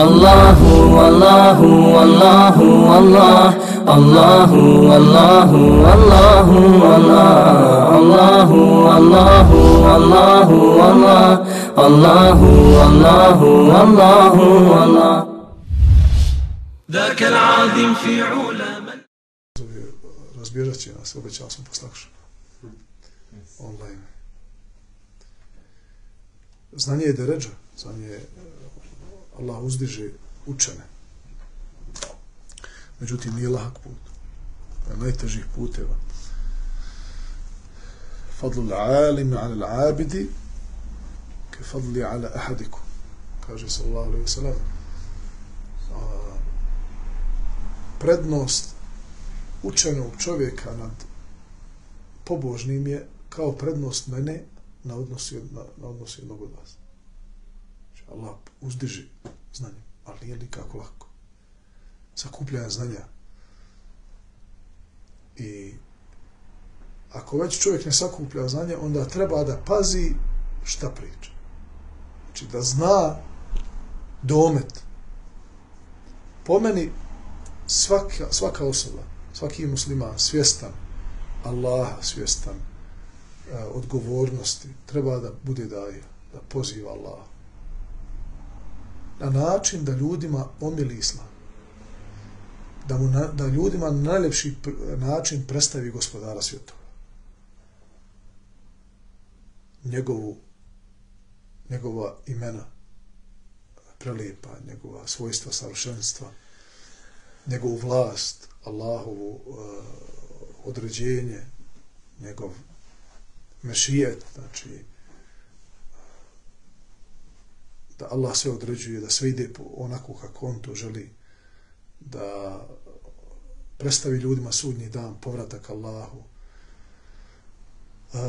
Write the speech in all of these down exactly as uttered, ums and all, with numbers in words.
Allahu, Allahu, Allahu, Allah, Allahu, Allahu, Allahu, Allah, Allahu, Allahu, Allahu, Allah, Allahu, Allahu, Allahu, Allah. ذاك العظيم في علا من Razbježat će nas, obećao sam poslakšu. Online. Znanje je deređa, znanje je Allah uzdiže učene. Međutim, nije lahak put. To je najtežih puteva. Fadlu l'alimi ala l'abidi ke fadli ala ahadiku. Kaže sallallahu alaihi wa sallam. Prednost učenog čovjeka nad pobožnim je kao prednost mene na odnosi, na, na odnosi jednog od vas. Znači, Allah uzdiži znanje, ali nije nikako lako. Sakupljanje znanja. I ako već čovjek ne sakuplja znanje, onda treba da pazi šta priča. Znači, da zna domet. Po meni, svaka, svaka osoba, svaki musliman svjestan Allaha, svjestan uh, odgovornosti, treba da bude daja, da poziva Allaha. Na način da ljudima omili islam. Da, mu na, da ljudima na najljepši način predstavi gospodara svjetova. Njegovu, njegova imena prelijepa, njegova svojstva savršenstva, njegovu vlast, Allahovu uh, određenje, njegov mešijet, znači da Allah sve određuje, da sve ide onako kako on to želi, da predstavi ljudima sudnji dan, povratak Allahu, uh,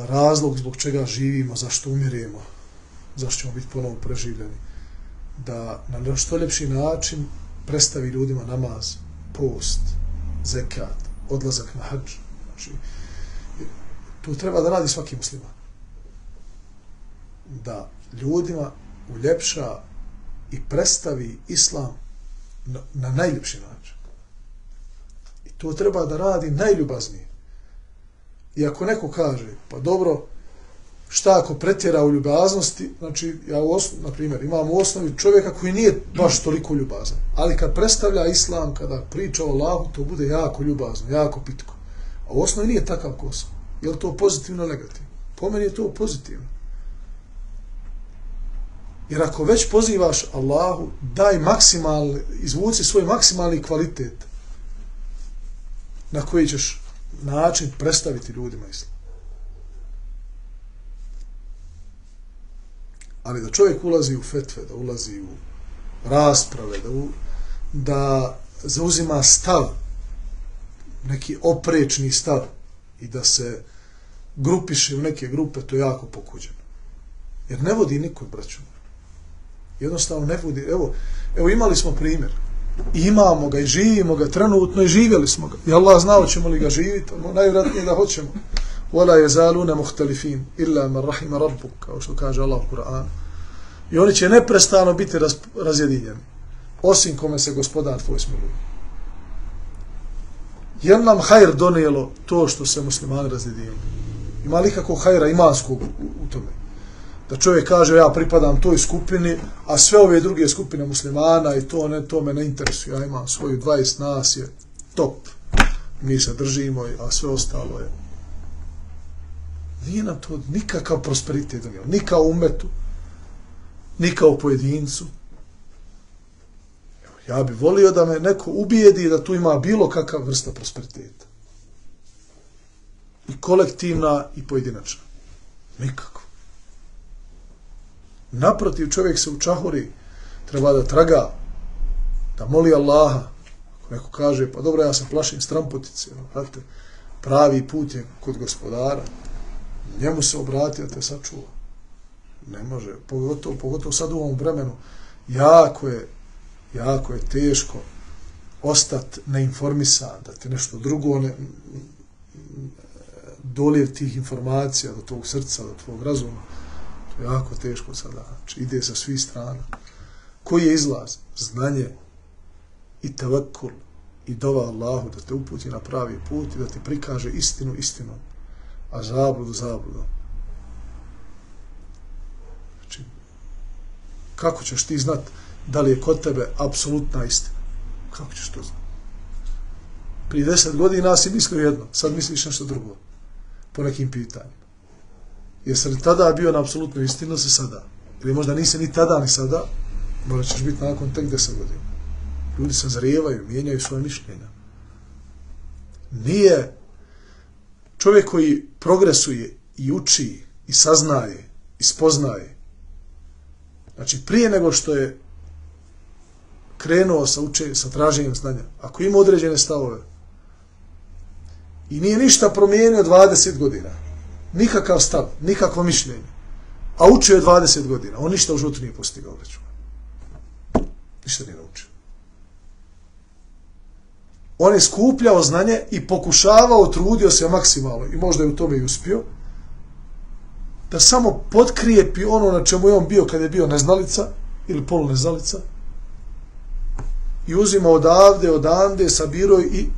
razlog zbog čega živimo, zašto umiremo, zašto ćemo biti ponovo preživljeni, da na što ljepši način predstavi ljudima namaz, post, zekat, odlazak na hadž. Znači, tu treba da radi svaki musliman. Da ljudima uljepša i predstavi islam na, na najljepši način. I to treba da radi najljubaznije. I ako neko kaže, pa dobro, šta ako pretjera u ljubaznosti, znači, ja u osnovi, na primjer, imam u osnovi čovjeka koji nije baš toliko ljubazan, ali kad predstavlja islam, kada priča o Allahu, to bude jako ljubazno, jako pitko. A u osnovi nije takav kosa. Je li to pozitivno ili negativno? Po meni je to pozitivno. Jer ako već pozivaš Allahu, daj maksimalni, izvuci svoj maksimalni kvalitet na koji ćeš način predstaviti ljudima islam. Ali da čovjek ulazi u fetve, da ulazi u rasprave, da, u, da zauzima stav, neki oprečni stav i da se grupiše u neke grupe, to je jako pokuđeno. Jer ne vodi nikog, braću. Jednostavno ne vodi. Evo, evo imali smo primjer. I imamo ga i živimo ga trenutno i živjeli smo ga. I Allah zna hoćemo li ga živjeti, najvjerojatnije da hoćemo. وَلَا يَزَالُونَ مُخْتَلِفِينَ إِلَّا مَنْ رَحِمَ رَبُّكَ, kao što kaže Allah u Kur'anu. I oni će neprestano biti raz, razjedinjeni, osim kome se gospodar tvoj smiluje. Je nam hajr donijelo to što se muslimani razjedinjeni? Ima li kako hajra imanskog u, u tome? Da čovjek kaže, ja pripadam toj skupini, a sve ove druge skupine muslimana i to, ne, to me ne interesuje. Ja imam svoju dvadeset nas je top. Mi se držimo, a sve ostalo je. Nije nam to nikakav prosperitet donijelo. Ni kao umetu, ni kao pojedincu. Ja bih volio da me neko ubijedi da tu ima bilo kakav vrsta prosperiteta. I kolektivna i pojedinačna. Nikako. Naprotiv, čovjek se učahuri, treba da traga, da moli Allaha. Ako neko kaže, pa dobro, ja se plašim strampotice, znate, pravi put je kod gospodara. Njemu se obrati, a te sačuva. Ne može, pogotovo, pogotovo sad u ovom vremenu, jako je, jako je teško ostati neinformisan, da ti nešto drugo ne, dolijev tih informacija do tvog srca, do tvog razuma. To je jako teško sada. Znači, ide sa svih strana. Koji je izlaz? Znanje i tevekkul i dova Allahu da te uputi na pravi put i da ti prikaže istinu istinom, a zabludu zabludom. Znači, kako ćeš ti znat da li je kod tebe apsolutna istina? Kako ćeš to znat? Prije deset godina si mislio jedno, sad misliš nešto drugo. Po nekim pitanjima. Jesi li tada bio na apsolutnu istinu, se sada? Ili možda nisi ni tada ni sada, možda ćeš biti nakon tek deset godina. Ljudi se zrijevaju, mijenjaju svoje mišljenja. Nije čovjek koji progresuje i uči i saznaje i spoznaje. Znači, prije nego što je krenuo sa, uče, sa traženjem znanja, ako ima određene stavove i nije ništa promijenio dvadeset godina, nikakav stav, nikakvo mišljenje, a učio je dvadeset godina, on ništa u životu nije postigao već. Ništa nije naučio. On je skupljao znanje i pokušavao, trudio se maksimalno i možda je u tome i uspio, da samo potkrijepi ono na čemu je on bio kad je bio neznalica ili poluneznalica i uzima odavde, odande, sabirao i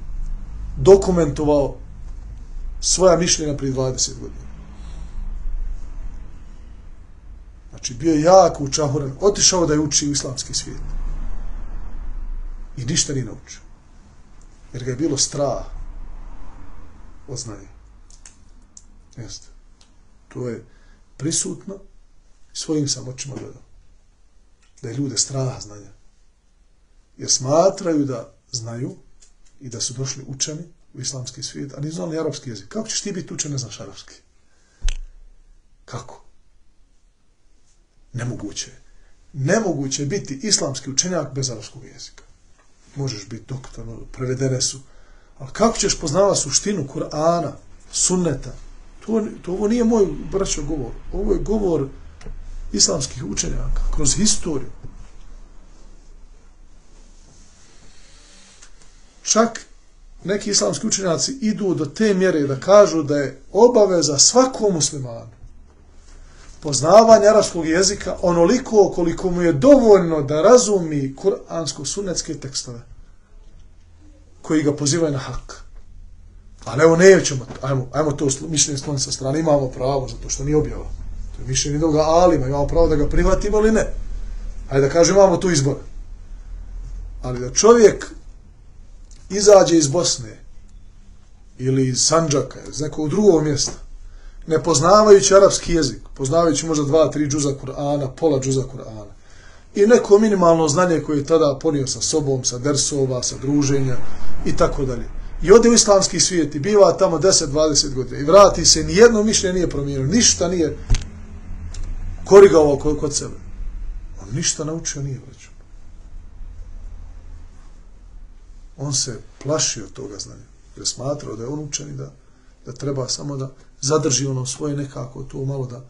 dokumentovao svoja mišljenja prije dvadeset godina. Znači, bio je jako učahuran, otišao da je uči u islamski svijet. I ništa nije naučio. Jer ga je bilo strah od znanja. Jeste. To je prisutno i svojim sam očima gledao. Da je ljude strah znanja. Jer smatraju da znaju i da su došli učeni u islamski svijet, a nisu znali arapski jezik. Kako ćeš ti biti učen, ne znaš arapski? Kako? Nemoguće. Nemoguće je biti islamski učenjak bez arapskog jezika. Možeš biti doktor, prevedene su. Ali kako ćeš poznavati suštinu Kur'ana, sunneta? To, to ovo nije moj braćo govor. Ovo je govor islamskih učenjaka kroz historiju. Čak neki islamski učenjaci idu do te mjere da kažu da je obaveza svakom muslimanu poznavanje arapskog jezika onoliko koliko mu je dovoljno da razumi kuransko-sunnetske tekstove koji ga pozivaju na hak. Ali evo nećemo, ajmo, ajmo to mišljenje skloniti sa strane, imamo pravo zato što nije objava. To je mišljenje druga alima, imamo pravo da ga prihvatimo ili ne. Ajde da kažem, imamo tu izbor. Ali da čovjek izađe iz Bosne ili iz Sandžaka, iz nekog drugog mjesta, ne poznavajući arapski jezik, poznavajući možda dva, tri džuza Kur'ana, pola džuza Kur'ana, i neko minimalno znanje koje je tada ponio sa sobom, sa dersova, sa druženja i tako dalje. I ode u islamski svijet i biva tamo deset dvadeset godina i vrati se, nijedno mišljenje nije promijenio, ništa nije korigovao kod sebe. On ništa naučio nije, vraćao. On se plašio toga znanja, jer smatrao da je on učen i da, da treba samo da zadrži ono svoje nekako, to malo da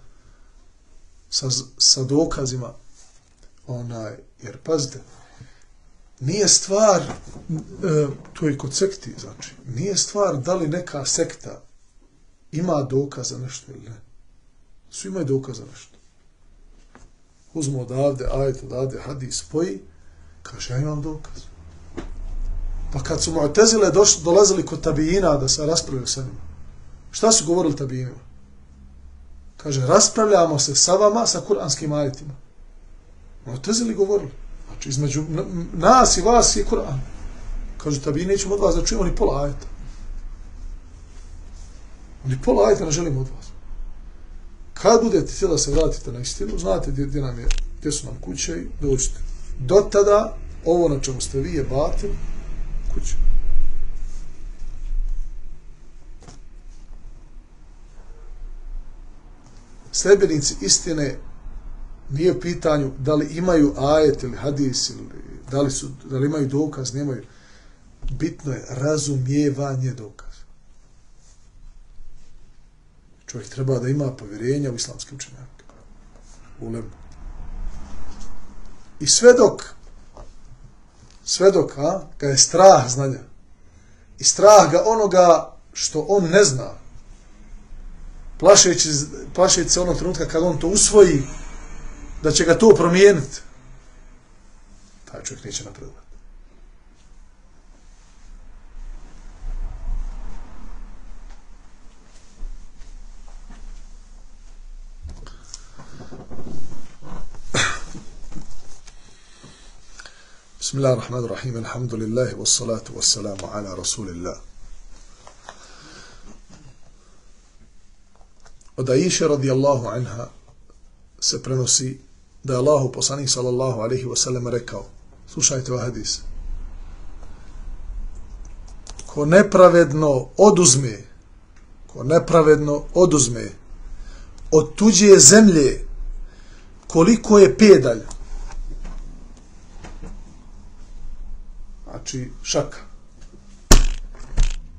sa, sa dokazima, onaj, jer pazite, nije stvar, e, to je kod sekti, znači, nije stvar da li neka sekta ima dokaz za nešto ili ne. Svi imaju dokaz za nešto. Uzmu odavde, ajet odavde, hadis, spoji, kaže, ja imam dokaz. Pa kad su Mu'tezile dolazili kod tabijina da se raspravljaju sa njima, šta su govorili tabijinima? Kaže, raspravljamo se sa vama sa kuranskim ajetima. Mu'tezili govorili. Znači, između nas i vas je Kur'an. Kaže, tabijini nećemo od vas da čujemo ni pola ajeta. Ni pola ajeta ne želimo od vas. Kad budete htjeli da se vratite na istinu, znate gdje, gdje, nam je, gdje su nam kuće i dođite. Do tada, ovo na čemu ste vi je batil, kuće. Sljedbenici istine nije u pitanju da li imaju ajet ili hadis ili da li, su, da li imaju dokaz, nemaju. Bitno je razumijevanje dokaza. Čovjek treba da ima povjerenja u islamske učenjake. U ulemu. I sve dok sve dok a, ga je strah znanja i strah ga onoga što on ne zna plašeći, plašeći se onog trenutka kad on to usvoji, da će ga to promijeniti, taj čovjek neće napredovati. Bismillahirrahmanirrahim, alhamdulillahi wassalatu wassalamu ala rasulillah. Od Aisha radijallahu anha se prenosi da je Allahu poslanik sallallahu alaihi wasallam rekao, slušajte ovaj hadis, ko nepravedno oduzme, ko nepravedno oduzme od tuđe zemlje koliko je pedalj, znači šaka,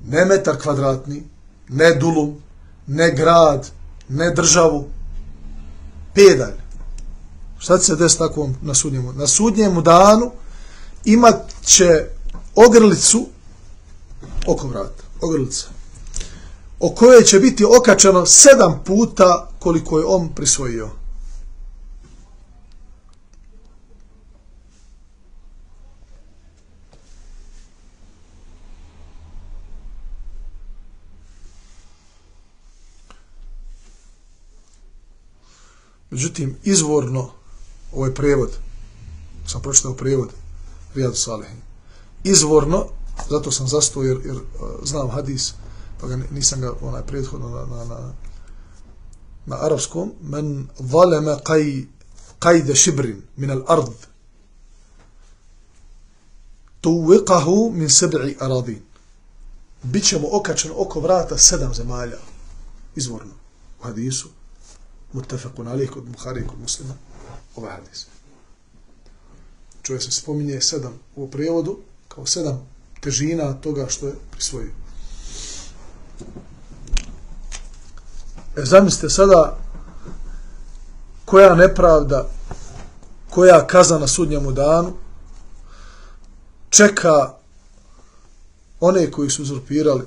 ne metar kvadratni, ne dulum, ne grad, ne državu, pedalj. Šta će se desiti takvom na sudnjemu? Na sudnjemu danu imat će ogrlicu oko vrata, ogrlica, o kojoj će biti okačeno sedam puta koliko je on prisvojio. Međutim, izvorno, ovaj prijevod, sam pročitao prijevod Rijadu Salihin, izvorno, zato sam zastao jer, jer znam hadis, pa ga, nisam ga onaj prethodno na, na, na, na arapskom, men zaleme qaj, qajde šibrin min al ard, tuviqahu min seb'i aradin. Bićemo okačeno oko vrata sedam zemalja, izvorno, u hadisu, muttafaqun alayh kod Buhari kod Muslima, ovaj hadis. Čovjek se spominje sedam u prijevodu kao sedam težina toga što je prisvojio. E, zamislite sada koja nepravda, koja kazna na sudnjemu danu čeka one koji su uzurpirali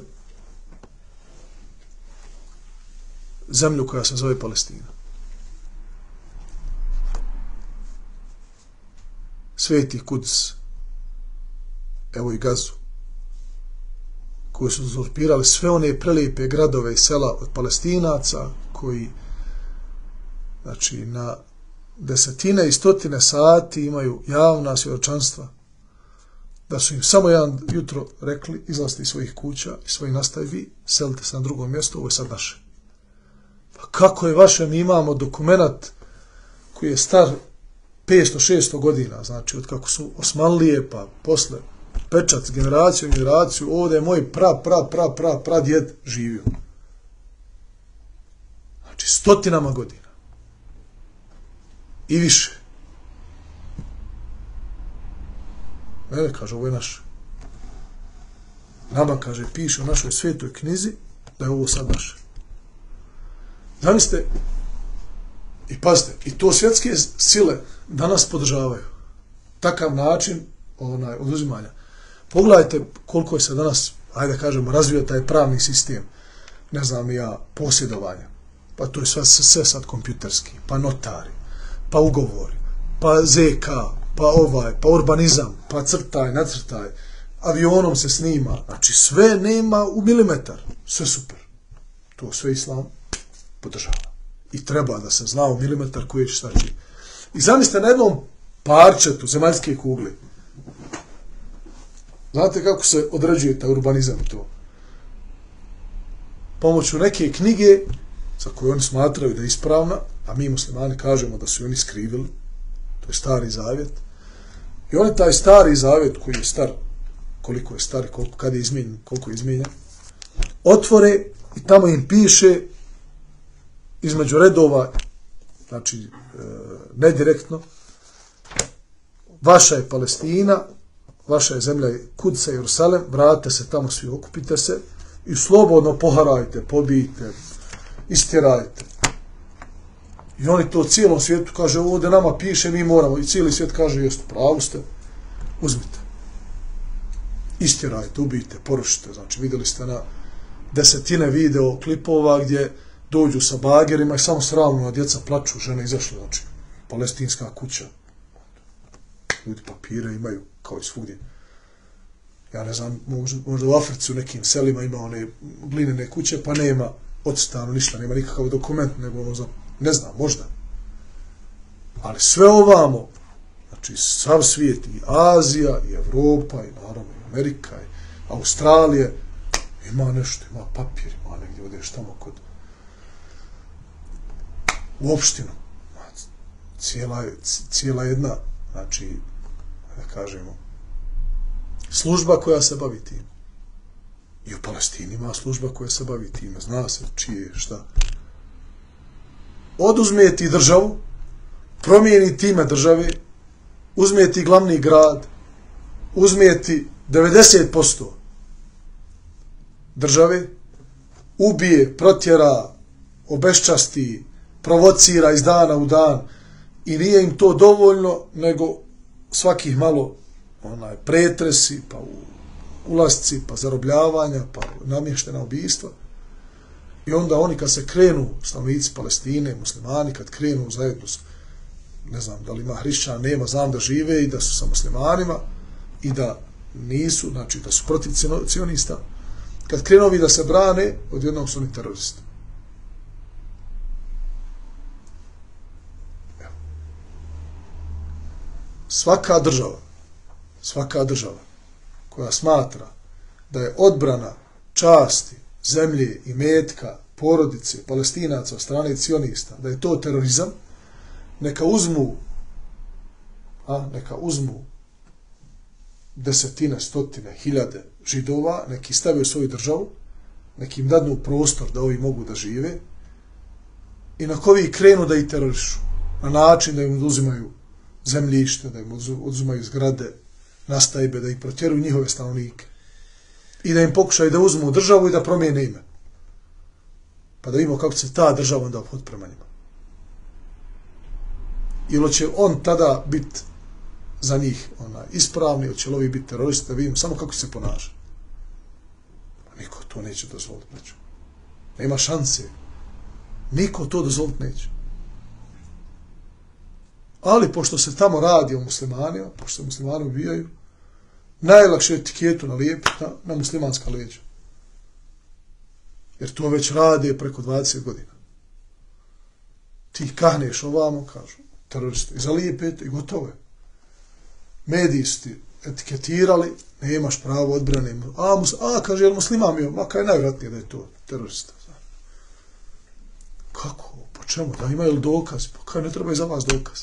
zemlju koja se zove Palestina. Sveti Kuds, evo i Gazu, koji su uzurpirali sve one prelijepe gradove i sela od Palestinaca, koji znači na desetine i stotine sati imaju javna svjedočanstva da su im samo jedan jutro rekli izlazite iz svojih kuća i svojih nastavi, selite se na drugom mjestu, ovo je sad naše. Pa kako je vaše, mi imamo dokumenat koji je star petsto šesto godina, znači od kako su Osmanlije, pa posle pečat generaciju generaciju, ovdje je moj pra, pra, pra, pra, pra djed živio. Znači stotinama godina. I više. Ne, kaže, ovo je naše. Nama, kaže, piše u našoj svetoj knjizi da je ovo sad naše. Zamislite, i pazite, i to svjetske sile danas podržavaju. Takav način onaj, oduzimanja. Pogledajte koliko je se danas, ajde kažemo, razvio taj pravni sistem, ne znam ja, posjedovanja. Pa to je sve, sve sad kompjuterski, pa notari, pa ugovori, pa Z K, pa ovaj, pa urbanizam, pa crtaj, nacrtaj, avionom se snima, znači sve nema u milimetar, sve super. To sve islam podržava. I treba da se zna u milimetar koji će staći. I zamislite na jednom parčetu zemaljske kugle. Znate kako se određuje taj urbanizam to? Pomoću neke knjige za koju oni smatraju da je ispravna, a mi muslimani kažemo da su oni skrivili, to je Stari Zavjet. I oni taj Stari Zavjet koji je star, koliko je star, koliko, kad je izmijenjen, koliko je izmijenjen, otvore i tamo im piše između redova, znači e, nedirektno, vaša je Palestina, vaša je zemlja Kudsa i Jerusalem, vratite se tamo svi, okupite se i slobodno poharajte, pobijte, istjerajte. I oni to cijelom svijetu kaže, ovdje nama piše, mi moramo, i cijeli svijet kaže, jeste, pravu ste, uzmite. Istjerajte, ubijte, porušite, znači vidjeli ste na desetine video klipova gdje dođu sa bagerima i samo sravno djeca plaču, žene izašle, znači palestinska kuća. Ljudi papire imaju kao i svugdje. Ja ne znam, možda, možda u Africi u nekim selima ima one glinene kuće, pa nema odstanu ništa, nema nikakav dokument, nego ono za, ne znam, možda. Ali sve ovamo, znači sav svijet, i Azija, i Evropa, i naravno i Amerika, i Australije, ima nešto, ima papir, ima negdje odeš tamo kod u opštinu. Cijela, cijela jedna, znači, da kažemo, služba koja se bavi tim. I u Palestini ima služba koja se bavi time, zna se čije, šta. Oduzme ti državu, promijeni time države, uzme ti glavni grad, uzme ti devedeset posto države, ubije, protjera, obeščasti, provocira iz dana u dan i nije im to dovoljno, nego svakih malo onaj, pretresi, pa ulasci, pa zarobljavanja, pa namještena ubijstva. I onda oni kad se krenu, stanovnici Palestine, muslimani, kad krenu zajedno, ne znam da li ima hrišćana, nema, znam da žive i da su sa muslimanima i da nisu, znači da su protiv cionista, kad krenu ovi da se brane, odjednom su oni teroristi. Evo. Svaka država, svaka država koja smatra da je odbrana časti, zemlje i metka, porodice, Palestinaca od strane cionista, da je to terorizam, neka uzmu, a, neka uzmu desetine, stotine, hiljade židova, neki stave u svoju državu, neki im dadnu prostor da ovi mogu da žive i na koji krenu da ih terorišu, na način da im oduzimaju zemljište, da im oduzimaju zgrade, nastajbe, da ih protjeruju njihove stanovnike i da im pokušaju da uzmu državu i da promijene ime. Pa da vidimo kako se ta država onda obhod prema njima. Ili će on tada biti za njih onaj, ispravni, ili će ovi biti teroristi, da vidimo samo kako se ponaša. Niko to neće dozvoliti. Neće. Nema šanse. Niko to dozvoliti neće. Ali pošto se tamo radi o muslimanima, pošto se muslimani ubijaju, najlakše etiketu nalijepiti na, na muslimanska leđa. Jer to već radi preko dvadeset godina. Ti kahneš ovamo, kažu, teroristi, i zalijepete i gotovo je. Mediji su ti etiketirali, nemaš pravo odbrane. A, mus, a kaže, jel musliman bio? Ma kaj je najvratnije da je to terorista. Kako? Po čemu? Da imaju li dokaz? Pa kaj ne treba i za vas dokaz?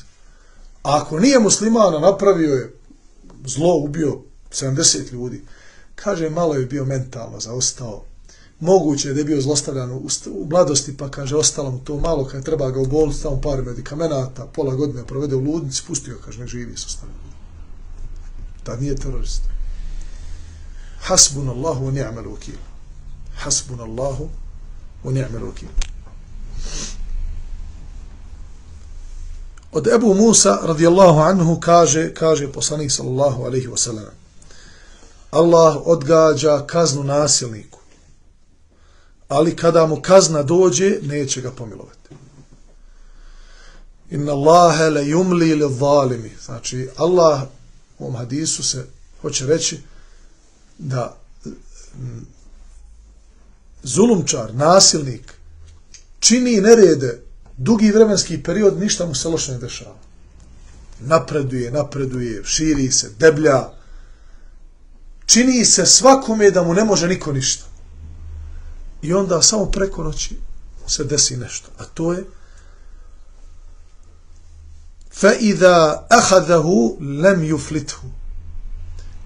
A ako nije muslimana, napravio je zlo, ubio sedamdeset ljudi, kaže, malo je bio mentalno zaostao. Moguće je da je bio zlostavljan u, u mladosti, pa kaže, ostalo mu to malo, kad treba ga u bolnicu, tamo par medikamenata, pola godine provede u ludnici, pustio, kaže, ne živi s ostavljanjem. Tad nije terorist. Hasbunallahu wa ni'mal wakil. Hasbunallahu wa ni'mal wakil. Od Ebu Musa radijallahu anhu kaže, kaže poslanik sallallahu alejhi ve sellem: Allah odgađa kaznu nasilniku, ali kada mu kazna dođe, neće ga pomilovati. Inna Allahe le yumli li zalimi. Znači, Allah u ovom hadisu se hoće reći da zulumčar, nasilnik, čini nerede dugi vremenski period, ništa mu se loše ne dešava. Napreduje, napreduje, širi se, deblja. Čini se svakome da mu ne može niko ništa. I onda samo preko noći se desi nešto. A to je فَإِذَا أَخَذَهُ لَمْ يُفْلِتْهُ.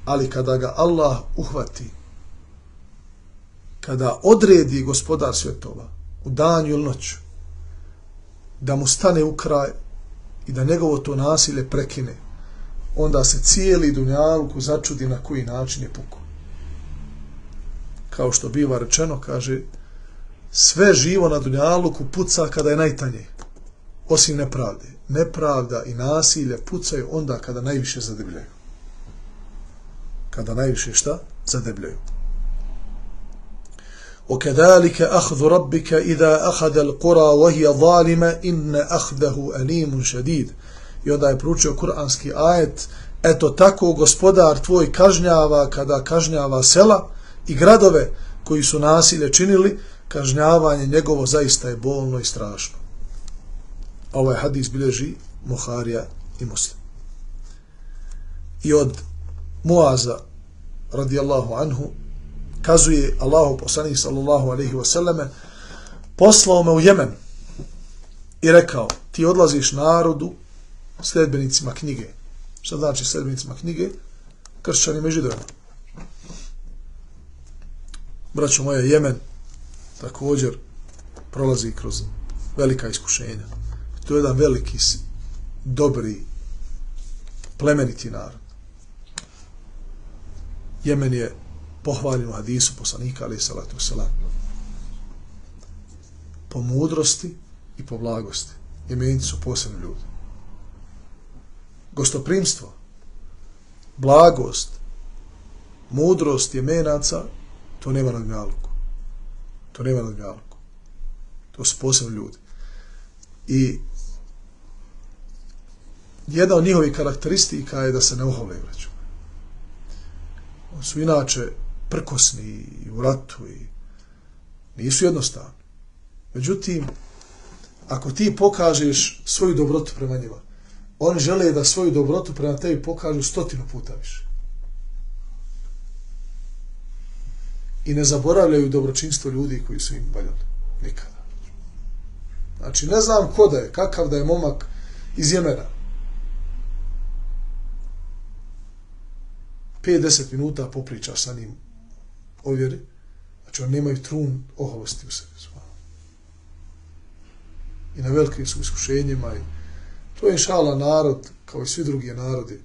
Ali kada ga Allah uhvati, kada odredi gospodar svjetova u danju ili noću, da mu stane u kraj i da njegovo to nasilje prekine, onda se cijeli dunjaluk začudi na koji način je puko. Kao što biva rečeno, kaže, sve živo na dunjaluku puca kada je najtanje, osim nepravde. Nepravda i nasilje pucaju onda kada najviše zadebljaju. Kada najviše šta? Zadebljaju. وَكَذَلِكَ أَخْذُ رَبِّكَ إِذَا أَخَذَ الْقُرَى وَهِيَ ظَالِمَ إِنَّ أَخْذَهُ أَلِيمٌ شَدِيدٌ. I onda je proučio kuranski ajet, eto tako gospodar tvoj kažnjava kada kažnjava sela i gradove koji su nasilje činili, kažnjavanje njegovo zaista je bolno i strašno. Ovaj hadis bilježi Buharija i Muslim. I od Muaza radijallahu anhu kazuje Allahu poslanik sallallahu alejhi ve selleme, poslao me u Jemen i rekao, ti odlaziš narodu sledbenicima knjige. Šta znači sledbenicima knjige? Kršćanima i Židovima. Braćo moje, Jemen također prolazi kroz velika iskušenja. To je jedan veliki, dobri, plemeniti narod. Jemen je pohvaljen u hadisu poslanika alejhi salatu vesselam po mudrosti i po blagosti. Jemenci su posebni ljudi. Gostoprimstvo, blagost, mudrost Jemenaca, to nema na dunjaluku. To nema na dunjaluku. To su posebni ljudi. I jedna od njihovih karakteristika je da se ne ohole, braću. Oni su inače prkosni i u ratu i nisu jednostavni. Međutim, ako ti pokažeš svoju dobrotu prema njima, oni žele da svoju dobrotu prema tebi pokažu stotinu puta više. I ne zaboravljaju dobročinstvo ljudi koji su im valjali. Nikada. Znači, ne znam ko da je, kakav da je momak iz Jemena. pet do deset minuta popričaš sa njim o vjeri, znači oni nemaju trun oholosti u sebi. I na velikim su iskušenjima i to je inšala narod, kao i svi drugi narodi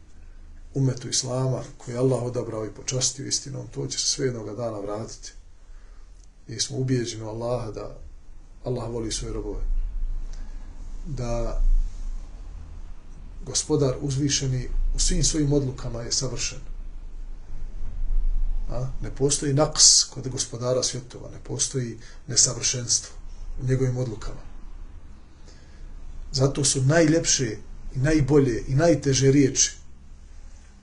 umetu Islama, koji je Allah odabrao i počastio istinom, to će se sve jednoga dana vratiti. I smo ubijeđeni u Allaha da Allah voli svoje robove. Da gospodar uzvišeni u svim svojim odlukama je savršen. A? Ne postoji naks kod gospodara svjetova, ne postoji nesavršenstvo u njegovim odlukama. Zato su najljepše i najbolje i najteže riječi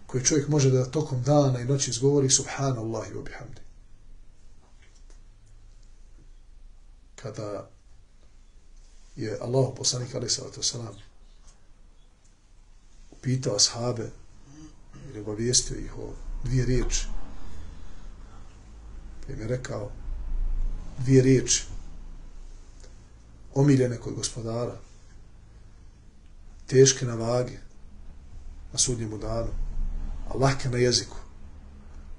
koje čovjek može da tokom dana i noći izgovori subhanallahi wa bihamdi. Kada je Allah poslanik alejhi salatu vesselam upitao ashabe ili obavijestio ih o dvije riječi, pa im je rekao dvije riječi omiljene kod gospodara, teške na vagi na sudnjemu danu, a lahke na jeziku.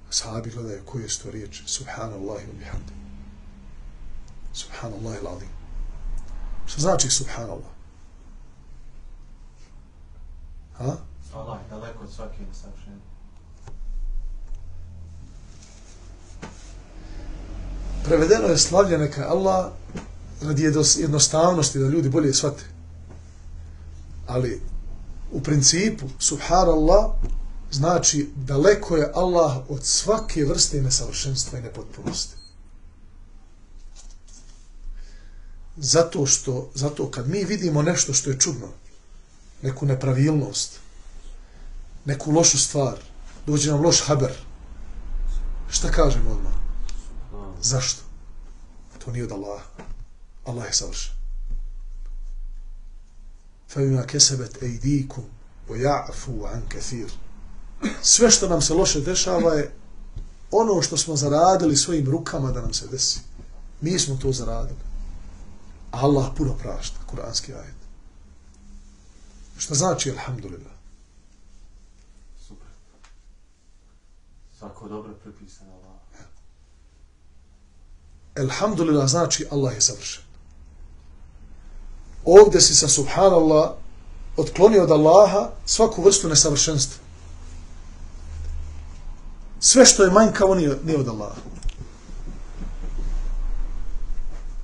Ashabi gledaju koje su to riječi. Subhanallahi wa bihamdi. Subhanallahi l'azim. Što znači subhanallah? Ha? Allah je daleko od svake nesavršenja. Prevedeno je slavlje neka Allah radi jednostavnosti da ljudi bolje shvate. Ali u principu subhanallah znači daleko je Allah od svake vrste nesavršenstva i nepotpunosti. Zato što, zato kad mi vidimo nešto što je čudno, neku nepravilnost, neku lošu stvar, dođe nam loš haber, šta kažemo odmah? Zašto? To nije od Allaha. Allah je savršen. فَبِمَا كَسَبَتْ أَيْدِيكُمْ وَيَعْفُوا عَنْ كَثِيرٍ. Sve što nam se loše dešava je ono što smo zaradili svojim rukama da nam se desi. Mi smo to zaradili. Allah puno prašta, kuranski ajet. Šta znači alhamdulillah? Super. Svako dobro pripisano Allah. Alhamdulillah znači Allah je savršen. Ovdje si sa subhanallah otklonio od Allaha svaku vrstu nesavršenstva. Sve što je manjkavo nije, nije od Allaha.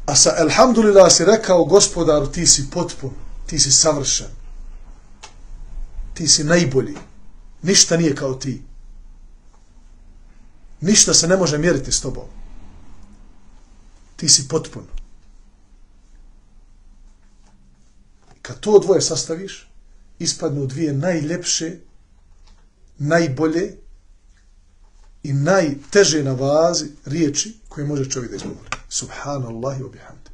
A sa alhamdulillah si rekao gospodaru ti si potpun, ti si savršen, ti si najbolji, ništa nije kao ti. Ništa se ne može mjeriti s tobom. ti si potpun. Kad to dvoje sastaviš, ispadnu dvije najljepše, najbolje i najteže na vazi riječi koje može čovjek da izgovori. Subhanallahi wa bihamdi.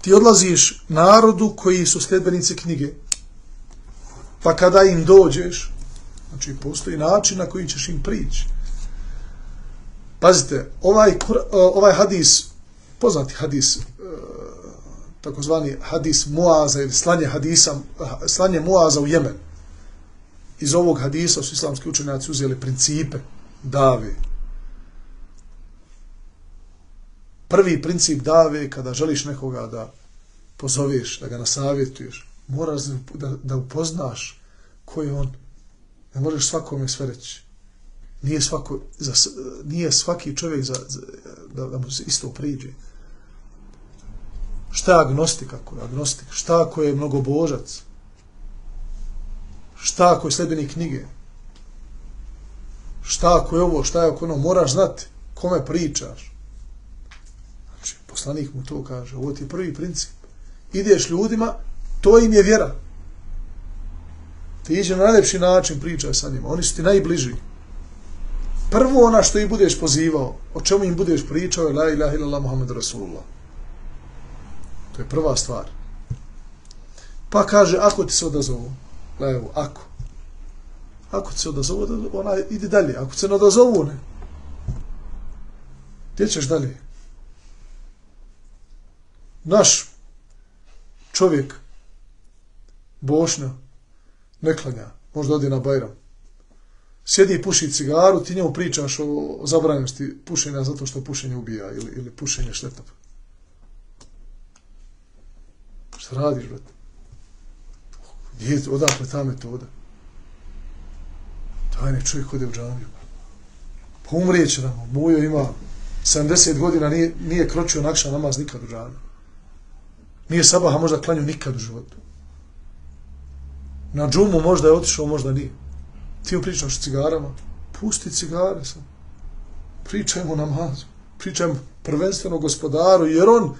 Ti odlaziš narodu koji su sljedbenici knjige, pa kada im dođeš, znači postoji način na koji ćeš im prići. Pazite, ovaj, ovaj hadis, poznati hadis, takozvani hadis Muaza ili slanje hadisa, slanje Muaza u Jemen. Iz ovog hadisa su islamski učenjaci uzeli principe dave. Prvi princip dave, kada želiš nekoga da pozoveš, da ga nasavjetuješ, moraš da, da upoznaš ko je on. Ne možeš svakome sve reći. Nije, svako, za, nije svaki čovjek za, za, da, da mu se isto priđe. Šta je agnostik ako je agnostik? Šta ako je mnogobožac? Šta ako je sljedbenik knjige? Šta ako je ovo, šta je ako ono? Moraš znati kome pričaš. Znači, poslanik mu to kaže. Ovo ti je prvi princip. Ideš ljudima, to im je vjera. Ti iđe na najljepši način, pričaj sa njima. Oni su ti najbliži. Prvo ona što ih budeš pozivao, o čemu im budeš pričao je la ilaha illallah Muhammed Rasulullah. To je prva stvar. Pa kaže, ako ti se odazovu, evo, ako. Ako ti se odazovu, ona ide dalje. Ako ti se ne odazovu, ne. Gdje ćeš dalje? Naš čovjek, Bošnja, ne klanja, možda odi na Bajram. Sjedi i puši cigaru, ti njemu pričaš o, o zabranjenosti pušenja zato što pušenje ubija ili, ili pušenje šteta. Šta radiš, brate? Gdje, odakle ta metoda? Tajni čovjek ode u džamiju. Pa umrijeće nam. Mujo ima sedamdeset godina, nije, nije kročio nakša namaz nikad u džamiju. Nije sabaha možda klanju nikad u životu. Na džumu možda je otišao, možda nije. Ti mu pričaš o cigarama, pusti cigare sam. Pričajmo o namazu. Pričajmo prvenstveno gospodaru, jer on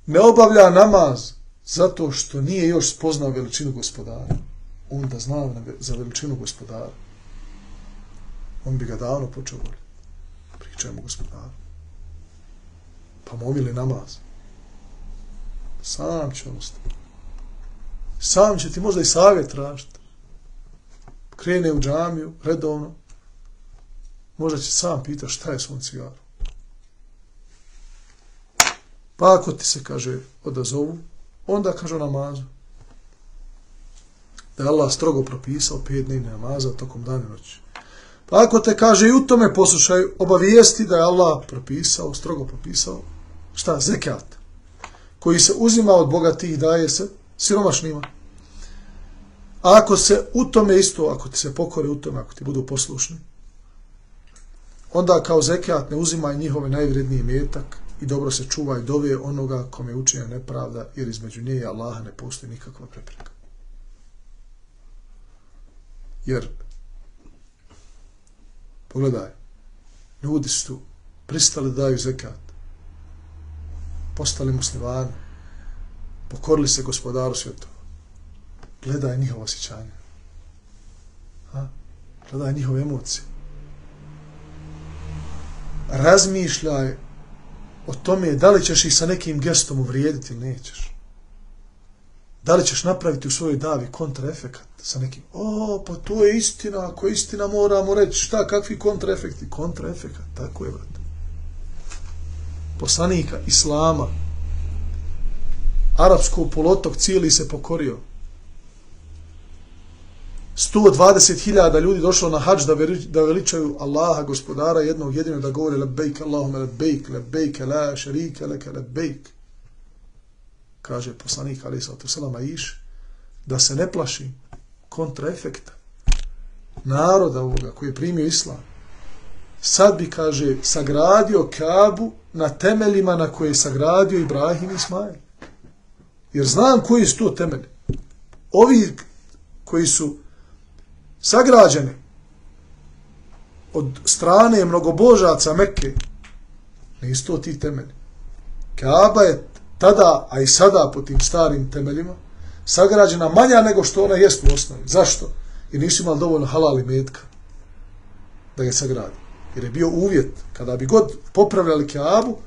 ne obavlja namaz zato što nije još spoznao veličinu gospodara. On da zna za veličinu gospodara. On bi ga davno počeo voliti. Pričajmo gospodaru. Pa momili namaz. Sam će on ostati. Sam će ti možda i savjet tražiti. Krene u džamiju, redovno. Možda će sam pitati šta je s ovom cigarom. Pa ako ti se, kaže, odazovu, onda kaže o namazu. Da je Allah strogo propisao pet dnevnih namaza tokom dana i noći. Pa ako te, kaže, i u tome poslušaj, obavijesti da je Allah propisao, strogo propisao, šta? Zekat. Koji se uzima od bogatih i daje se siromašnima. A ako se u tome isto, ako ti se pokore u tome, ako ti budu poslušni, onda kao zekat ne uzimaj njihove najvredniji metak i dobro se čuvaj dove onoga kome je učinjena nepravda, jer između nje i Allaha ne postoji nikakva prepreka. Jer, pogledaj, ljudi su pristali da daju zekat, postali muslimani, pokorili se gospodaru svjetova. Gledaj njihova osjećanja. Ha? Gledaj njihove emocije. Razmišljaj o tome da li ćeš ih sa nekim gestom uvrijediti ili nećeš. Da li ćeš napraviti u svojoj davi kontraefekat sa nekim, o, pa to je istina, ako je istina moramo reći, šta, kakvi kontraefekti? Kontraefekat, tako je, brate. Poslanika Islama, arapskog poluotok cijeli se pokorio. sto dvadeset hiljada ljudi došlo na hadž da, da veličaju Allaha, gospodara jednog jedinog, da govore lebejk, Allahume lebejk, lebejk, la šerike leke lebejk. Kaže poslanik alejhi salatu vesselam Aiš, da se ne plaši kontraefekta naroda ovoga koji je primio islam. sad bi, kaže, sagradio Kabu na temeljima na koje je sagradio Ibrahim i Ismail. Jer znam koji su to temelji. Ovi koji su sagrađeni od strane mnogobožaca Mekke, nisu to ti temelji. Kaaba je tada, a i sada po tim starim temeljima, sagrađena manja nego što ona jest u osnovi. Zašto? Jer nisu imali dovoljno halal i metka da je sagradi. Jer je bio uvjet, kada bi god popravljali Kaabu,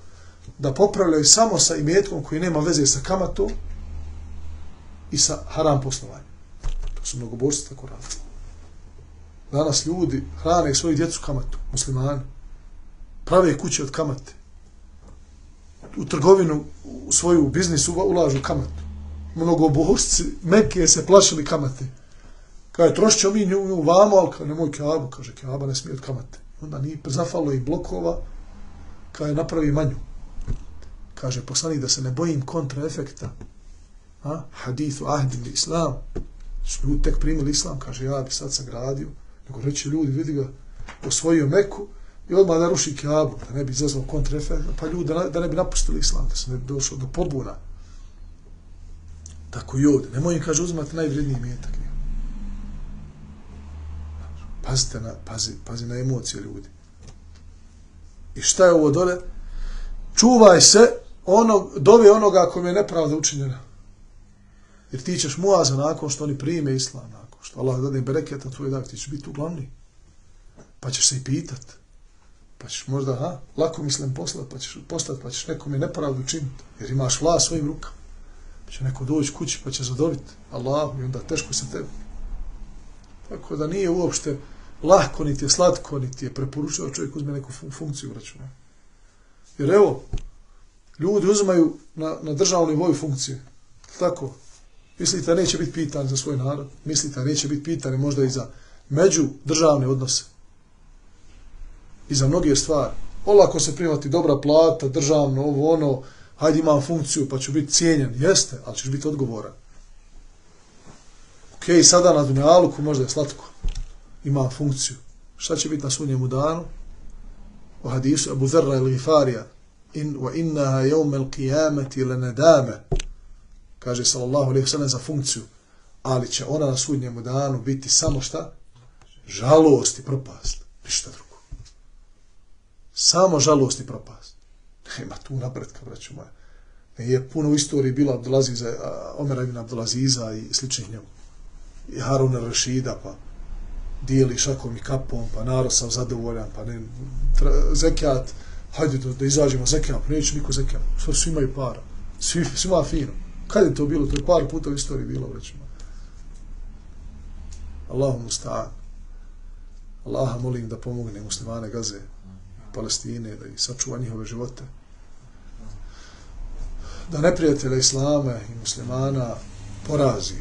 da popravljaju samo sa imetkom koji nema veze sa kamatom i sa haram poslovanjem. To su mnogobožci tako radili. Danas ljudi hrane svoju djecu kamatu, muslimani. Prave kuće od kamate. U trgovinu, u svoju biznis ulažu kamatu. Mnogobožci Mekke se plašili kamate. Kaže, trošit ćemo mi nju, nju vamo, ali kaže, nemoj Kaabu, kaže, Kaaba ne smije od kamate. Onda nije zafalo i blokova, kaže, napravi manju. Kaže, poslanik da se ne bojim kontraefekta. A? Hadithu ahdin islam. Su ljudi tek primili islam, kaže, ja bi sad sagradio. Nego reći ljudi, vidi ga, osvojio Meku i odmah da ruši Kaabu, da ne bi izazvao kontraefekta, pa ljudi da, da ne bi napustili islam, da se ne bi došlo do pobuna. Tako i ovdje. Nemoj im, kaže, uzimati najvredniji metak. Pazite na, pazi, pazi na emocije ljudi. I šta je ovo dole? Čuvaj se onog, dove onoga kome je nepravda učinjena. Jer ti ćeš muaza nakon što oni prime islam, nakon što Allah dade bereketa tvoj dak, ti ćeš biti uglavni. Pa ćeš se i pitat. Pa ćeš možda, ha, lako mislim poslat, pa ćeš postat, pa ćeš nekome nepravdu učiniti. Jer imaš vlast svojim rukama. Pa će neko doći kući, pa će zadobiti Allahu i onda teško se tebi. Tako da nije uopšte lahko, niti je slatko, niti je preporučeno čovjek uzme neku funkciju računa. Jer evo, ljudi uzimaju na, na državnoj nivou funkcije. Tako, mislite neće biti pitani za svoj narod, mislite neće biti pitani možda i za međudržavne odnose. I za mnoge stvari. Olako se primati dobra plata, državno, ovo, ono, hajde imam funkciju pa ću biti cijenjen. Jeste, ali ćeš biti odgovoran. Ok, sada na dunjaluku možda je slatko. Ima funkciju. Šta će biti na sunnjemu danu? U hadisu Abu Dharra il-Ghifarija in, wa innaha yawm al-qiyamati lanadama. Kaže sallallahu alejhi ve sellem za funkciju. Ali će ona na sunnjemu danu biti samo šta? Žalost i propast. Ništa drugo. Samo žalost i propast. Nema tu napretka, braćo moja. Je puno u istoriji bilo Abdulaziza, Omera ibn Abdulaziza i sličnih njemu. I Haruna Rašida, pa dijeli šakom i kapom, pa narod sam zadovoljan, pa ne, tra, zekijat, hajde da, da izađemo zekijat, pa neće niko zekijat, sve svi imaju para, svi, svima fino. Kad je to bilo? To je par puta u istoriji bilo, vrećemo. Allahu musta'an. Allaha molim da pomogne muslimane Gaze, Palestine, da ih sačuva njihove živote. Da neprijatelja Islama i muslimana porazi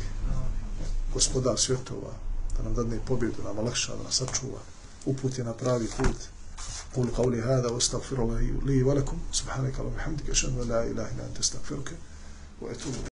gospodar svjetova, da nam dadne pobjedu, nam olakša, da nas sačuva, uputi na pravi put. Qulu qawli hada wa astaghfirullahi li wa lakum subhanaka wa bihamdika ashhadu an la ilaha illa anta astaghfiruka wa atubu